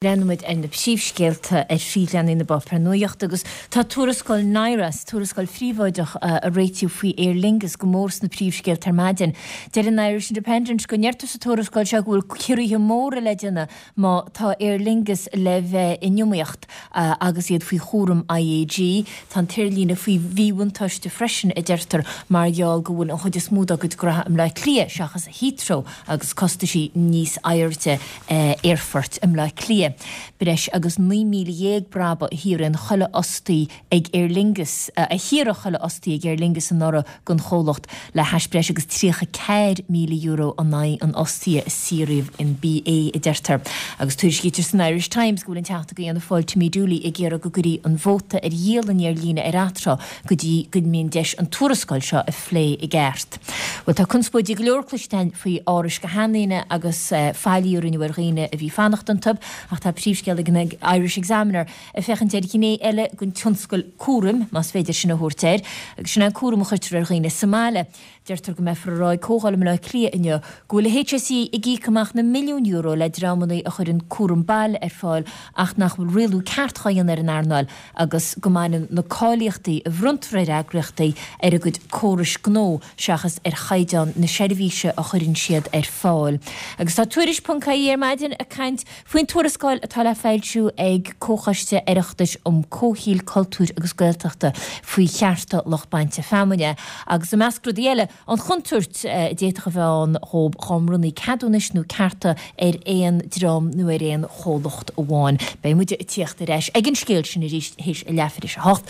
Breathnaíonn muid ar na príomhscéalta ar phríomhleathanaigh na bpáipéar nuachta agus tá tuarascáil NIRAS, tuarascáil phríobháideach a réitíodh faoi Aer Lingus, go mór sna príomhscéalta ar maidin. Deir an Irish Independent go ndeirtear sa tuarascáil seo go bhfuil ciorruithe móra le déanamh má tá Aer Lingus le bheith in iomaíocht agus iad faoi chúram IAG. Tá an t-aerlíne faoi mhíbhuntáiste freisin, a deirtear, mar gheall go bhfuil an chuid is mó dá gcuid graithe i mBleá Cliath seachas Heathrow agus costaisí níos airde. aerfoirt i mBleá Cliath. Breis agus 19,000 brabach a shaothraíonn chuile fhostaí ag Aer Lingus, a shaothraigh chuile fhostaí ag Aer Lingus anuraidh don chomhlacht, le hais breis agus €34,000 in aghaidh an fhostaí a saothraíodh in BA, a deirtear. Agus tuairiscítear san Irish Times go bhfuil an Teachta do Fhianna Fáil Timmy Dooley ag iarraidh go gcuirfí an vóta ar dhíol an aerlíne ar atráth go dtí go mbíonn deis an tuarascáil seo a phlé i gceart. Bhuel, tá conspóidí go leor cloiste againn faoi árais do sheandaoine agus faillí a rinneadh ar dhaoine a bhí ag fanacht iontu, ach tá príomhscéal ag an Irish Examiner ag féachaint ar ghné eile den tionscal cúraim, más féidir sin a thabhairt air, agus sin é an cúram a chuirtear ar dhaoine sa mbaile. Deirtear go mbeifear ag rá ag comhdháil i mBleá Cliath inniu go bhfuil an HSE ag íoc amach na milliúin euro le dreamanna a chuireann cúram baile ar fáil ach nach bhfuil rialú ceart dhá dhéanamh ar an earnáil agus go mbaineann na cáilíochtaí a bhronntar ar eagraíochtaí ar a gcuid córais gnó seachas ar chaighdeán na seirbhíse a chuireann siad ar fáil. Agus tá Tuairisc ponc ie ar maidin ag caint faoin tuarascáil atá le foilsiú ag Comhchoiste Oireachtais um Comhshaoil, Cultúir agus Gaeltachta faoi chearta lucht bainte feamainne agus i measc rudaí eile, An chontúirt a d'fhéadfadh a bheith ann dhóibh dhá mbronnfaí ceadúnais nó cearta ar aon dream nó ar aon chomhlacht amháin. Beidh muid ag tíocht ar ais ag an scéal sin arís théis a leathuair théis a hocht.